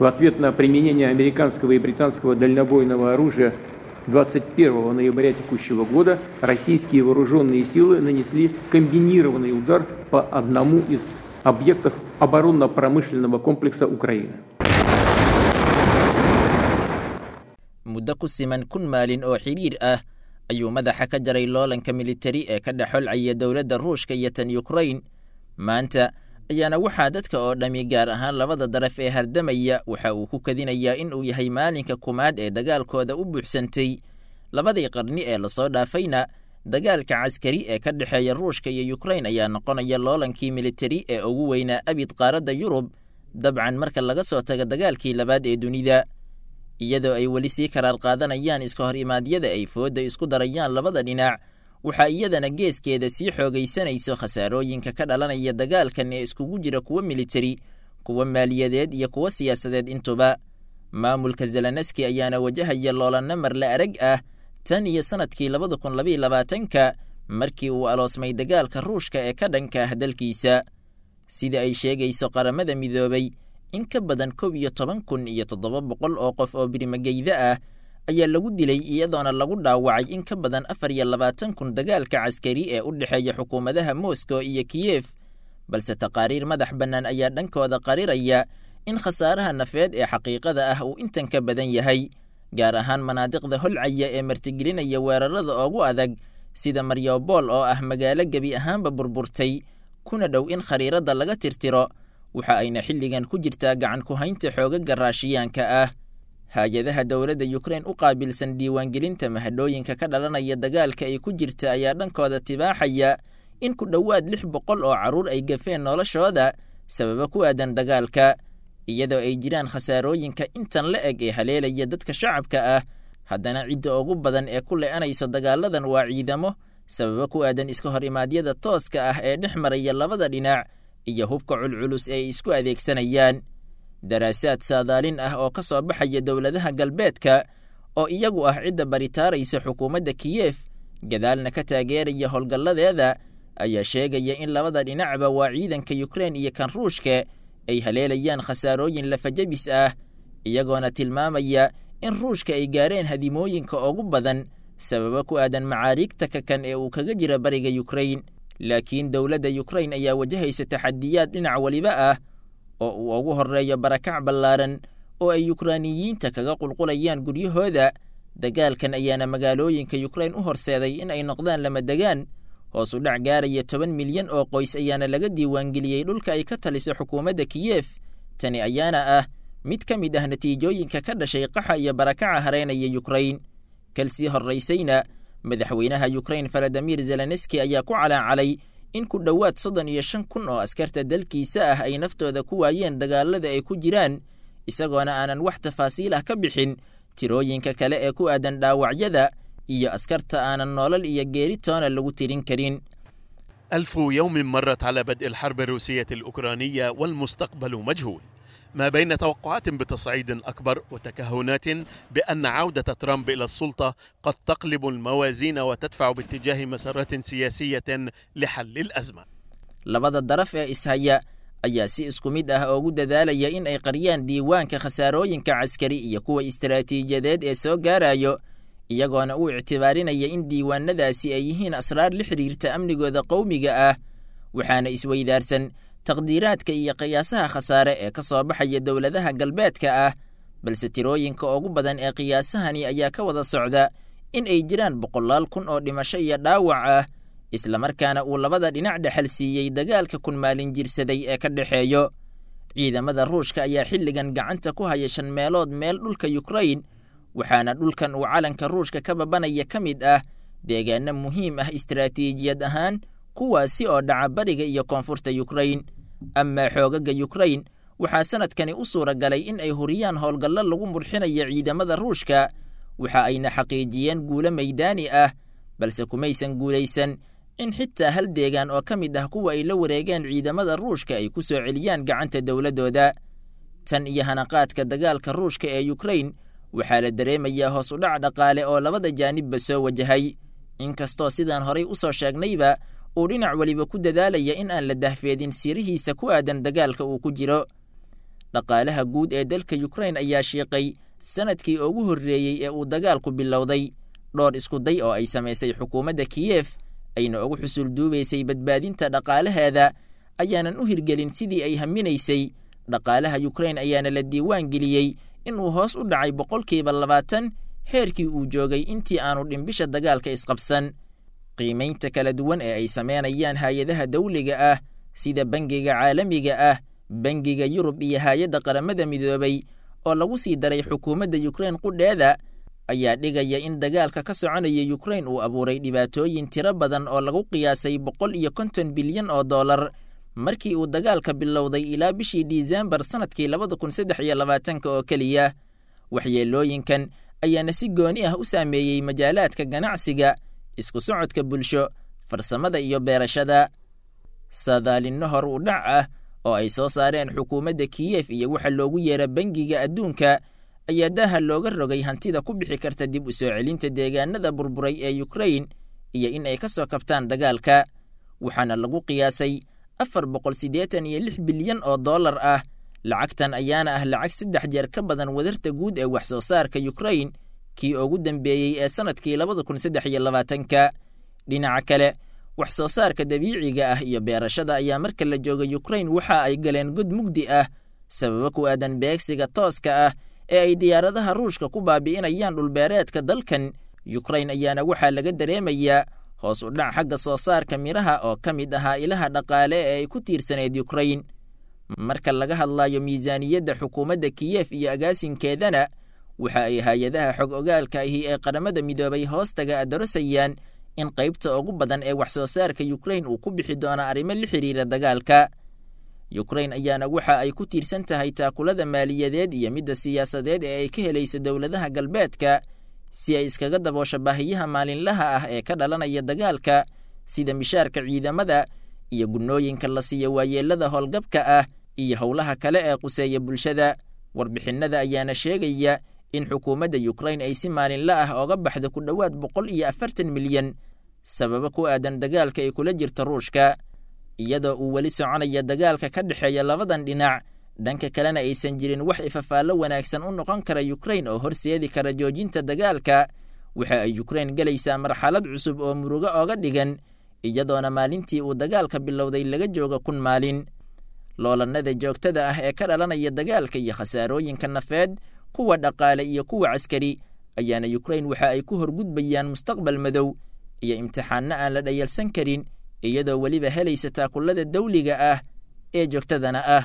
В ответ на применение американского и британского дальнобойного оружия 21 ноября текущего года российские вооруженные силы нанесли комбинированный удар по одному из объектов оборонно-промышленного комплекса Украины. Muddo ku siman 1000 maalin oo xidhiir ah ayuu madaxa ka jaray loolanka militari ee ka dhex holcaya dowladda Ruushka iyo tan Ukrain. Maanta ayaana waxaa dadka oo dhammi, gaar ahaan labada daraf ee hardamaya, waxa uu ku kadinayaa in uu yahay maalinka kumaad ee dagaalkooda u buuxsantay. Labadii qarni ee lasoo dhaafayna, dagaalka caskari ee ka dhexeeya Ruushka iyo Ukrain ayaa noqonaya loolankii militari ee ugu weynaa abid qaaradda Yurub, dabcan marka laga soo tago dagaalkii labaad ee dunida. Iyadoo ay weli sii karaar qaadanayaan iska hor imaadyada ay foodda isku darayaan labada dhinac, waxaa iyadana geeskeeda sii xoogaysanayso khasaarooyinka ka dhalanaya dagaalkan ee iskugu jira kuwa militari, kuwa maaliyadeed iyo kuwa siyaasadeed intuba. Maamulka Zelenski ayaana wajahaya loolanno marle arag ah tan iyo sannadkii 2022-ka, markii uu aloosmay dagaalka Ruushka ee ka dhanka ah dalkiisa. Sida ay sheegayso Qaramada Midoobay, in ka badan 11,700 oo qof oo birimageyda ah ayaa lagu dilay, iyadoona lagu dhaawacay in ka badan 24,000 dagaalka caskari ee u dhexeeya xukuumadaha Moscow iyo Kiyef. Balse taqaariir madax bannaan ayaa dhankooda qariraya in khasaaraha nafeed ee xaqiiqada ah uu intan ka badan yahay, gaar ahaan manaadiqda holcaya ee martigelinaya weerarada ugu adag, sida Mariupol oo ah magaalo gebi ahaanba burburtay kuna dhow in khariiradda laga tirtiro, waxa ayna xilligan ku jirtaa gacan ku haynta xoogaga Raashiyaanka ah. Hay-adaha dowladda Ukrain u qaabilsan diiwaangelinta mahadhooyinka ka dhalanaya dagaalka ay ku jirta ayaa dhankooda tibaaxaya in ku dhowaad 600 oo carruur ay gafeen noloshooda sababo ku aadan dagaalka. Iyadoo ay jiraan khasaarooyinka intan la eg ee haleelaya dadka shacabka ah, haddana cidda ugu badan ee ku le'anaysa dagaaladan waa ciidamo, sababo ku aadan iska hor imaadyada tooska ah ee dhex maraya labada dhinac iyo hubka culculus ee ay isku adeegsanayaan. Daraasaad saadaalin ah oo ka soo baxaya dowladaha galbeedka, oo iyagu ah cidda baritaaraysa xukuumadda Kiyef gadaalna ka taageeraya howlgalladeeda, ayaa sheegaya in labada dhinacba, waa ciidanka Ukrain iyo kan Ruushka, ay haleelayaan khasaarooyin lafajabis ah, iyagoona tilmaamaya in Ruushka ay gaareen hadimooyinka ugu badan sababo ku aadan macaariigta kakan ee uu kaga jira bariga Ukrain. Laakiin dowladda Ukrain ayaa wajahaysa taxadiyaad dhinac weliba ah, oo uu ugu horreeyo barakac ballaaran oo ay Yukraaniyiinta kaga qulqulayaan guryahooda. Dagaalkan ayaana magaalooyinka Ukrain u horseeday in ay noqdaan lama degaan. Hoos u dhac gaaraya 10 milyan oo qoys ayaana laga diiwaangeliyey dhulka ay ka taliso xukuumadda Kiyef. Tani ayaana ah mid ka mid ah natiijooyinka ka dhashay qaxa iyo barakaca hareynaya Ukrain. Kalsii horraysayna, madaxweynaha Ukrain Valadimir Zelenski ayaa ku calaacalay in ku dhowaad 35,000 oo askarta dalkiisa ah ay naftooda ku waayeen dagaalada ay ku jiraan, isagoona aanan wax tafaasiil ah ka bixin tirooyinka kale ee ku aadan dhaawacyada iyo askarta aanan nolol iyo geeri toona lagu tirin karin. 1000 يوم مرت على بدء الحرب الروسية الأوكرانية والمستقبل مجهول، ما بين توقعات بتصعيد أكبر وتكهنات بأن عودة ترامب إلى السلطة قد تقلب الموازين وتدفع باتجاه مسارات سياسية لحل الأزمة. Labada daraf ee ishaya ayaa si isku mid ah ugu dadaalaya in ay qariyaan diiwaanka khasaarooyinka caskari iyo kuwa istaraatiijiyadeed ee soo gaarayo, iyagoona u ictibaarinaya in diiwaanadaasi ay yihiin asraar la xidhiirta amnigooda qowmiga ah. Waxaana isweydaarsan taqdiiraadka iyo qiyaasaha khasaare ee ka soo baxaya dowladaha galbeedka ah, balse tirooyinka ugu badan ee qiyaasahani ayaa ka wada socda in ay jiraan boqolaal kun oo dhimasho iyo dhaawac ah, islamarkaana uu labada dhinac dhexal siiyey dagaalka kun maalin jirsaday ee ka dhexeeyo. Ciidamada Ruushka ayaa xilligan gacanta ku haya shan meelood meel dhulka Ukrain, waxaana dhulkan uu calanka Ruushka ka babanaya ka mid ah deegaano muhiim ah istaraatiijiyad ahaan, kuwaasi oo dhaca bariga iyo koonfurta Ukrain. Amaa xoogaga Ukrain, waxaa sanadkani u suura galay in ay huriyaan howlgallo lagu murxinayo ciidamada Ruushka, waxa ayna xaqiijiyeen guulo maydaani ah, balse kumaysan guulaysan in xitaa hal deegaan oo ka mid ah kuwa ay la wareegeen ciidamada Ruushka ay ku soo celiyaan gacanta dowladdooda. Tan iyo hanaqaadka dagaalka Ruushka ee Ukrain, waxaa la dareemayaa hoos u dhac dhaqaale oo labada jaanibba soo wajahay, inkastoo sidaan horay u soo sheegnayba uu dhinac weliba ku dadaalaya in aan la dahfeedin sirihiisa ku aadan dagaalka uu ku jiro. Dhaqaalaha guud ee dalka Ukraine ayaa shiiqay sanadkii ugu horreeyey ee uu dagaalku bilowday. Dhowr isku day oo ay samaysay xukuumadda Kiyef ayna ugu xusul duubaysay badbaadinta dhaqaalaheeda ayaanan u hirgelin sidii ay haminaysay. Dhaqaalaha Ukraine ayaana la diiwaan geliyey inuu hoos u dhacay 20% heerkii uu joogay intii aanu dhimbisha dagaalka isqabsan. Qiimaynta kala duwan ee ay sameynayaan hay-adaha dawliga ah sida Bangiga Caalamiga ah, Bangiga Yurub iyo Hay-adda Qaramada Midoobay oo lagu sii daray xukuumadda Ukraine qudheeda ayaa dhigaya in dagaalka ka soconaya Ukraine uu abuuray dhibaatooyin tiro badan oo lagu qiyaasay 150 bilyan oo dollar markii uu dagaalka bilowday ilaa bishii Disembar sanadkii 2023 oo keliya. Waxyeelooyinkan ayaana si gooni ah u saameeyey majaalaadka ganacsiga, isku socodka bulsho, farsamada iyo beerashada. Saadaalinno hor u dhac ah oo ay soo saareen xukuumadda Kiyef iyo waxa loogu yeera Bangiga Adduunka ayaa daaha looga rogay hantida ku bixi karta dib u soo celinta deegaanada burburay ee Ukraine iyo in ay ka soo kabtaan dagaalka, waxaana lagu qiyaasay 486 bilyan oo dollar ah. Lacagtan ayaana ah lacag 3 jeer ka badan wadarta guud ee wax soo saarka Ukraine kii ugu dambeeyey ee sanadkii 2023. Dhinaca kale, wax soo saarka dabiiciga ah iyo beerashada ayaa marka la jooga Ukraine waxa ay galeen god mugdi ah sababo ku aadan beegsiga tooska ah ee ay diyaaradaha Ruushka ku baabi'inayaan dhulbeereedka dalkan. Ukraine ayaana waxaa laga dareemayaa hoos u dhac xagga soo saarka miraha oo ka mid ahaa ilaha dhaqaale ee ay ku tiirsaneyd Ukraine. Marka laga hadlayo miisaaniyadda xukuumadda Kiyef iyo agaasinkeedana, waxa ay hay-adaha xog ogaalka ahi ee Qaramada Midoobay hoostaga adarosayaan in qaybta ugu badan ee wax soo saarka Ukraine uu ku bixi doono arrimo la xiriira dagaalka. Ukraine ayaana waxa ay ku tiirsan tahay taakulada maaliyadeed iyo midda siyaasadeed ee ay ka helayso dowladaha galbeedka si ay iskaga daboosho baahiyaha maalinlaha ah ee ka dhalanaya dagaalka, sida mishaarka ciidamada iyo gunnooyinka la siiyo waayeelada howlgabka ah iyo howlaha kale ee quseeya bulshada. Warbixinnada ayaana sheegaya in xukuumadda Ukraine ay si maalinla ah ooga baxdo ku dhowaad 140 milyan sababo ku aadan dagaalka ay kula jirto Ruushka, iyadoo uu weli soconaya dagaalka ka dhexeeya labadan dhinac. Dhanka kalena aysan jirin wax ifafaallo wanaagsan u noqon kara Ukraine oo horseedi kara joojinta dagaalka. Waxa ay Ukraine gelaysaa marxalad cusub oo murugo ooga dhigan, iyadoona maalintii uu dagaalka bilowday laga jooga 1000 maalin. Loolannada joogtada ah ee ka dhalanaya dagaalka iyo khasaarooyinka nafeed, kuwa dhaqaale iyo kuwa caskari ayaana Ukraine waxa ay ku horgudbayaan mustaqbal madow iyo imtixaanno aan la dhayalsan karin, iyadoo weliba helaysa taakullada dawliga ah ee joogtadana ah.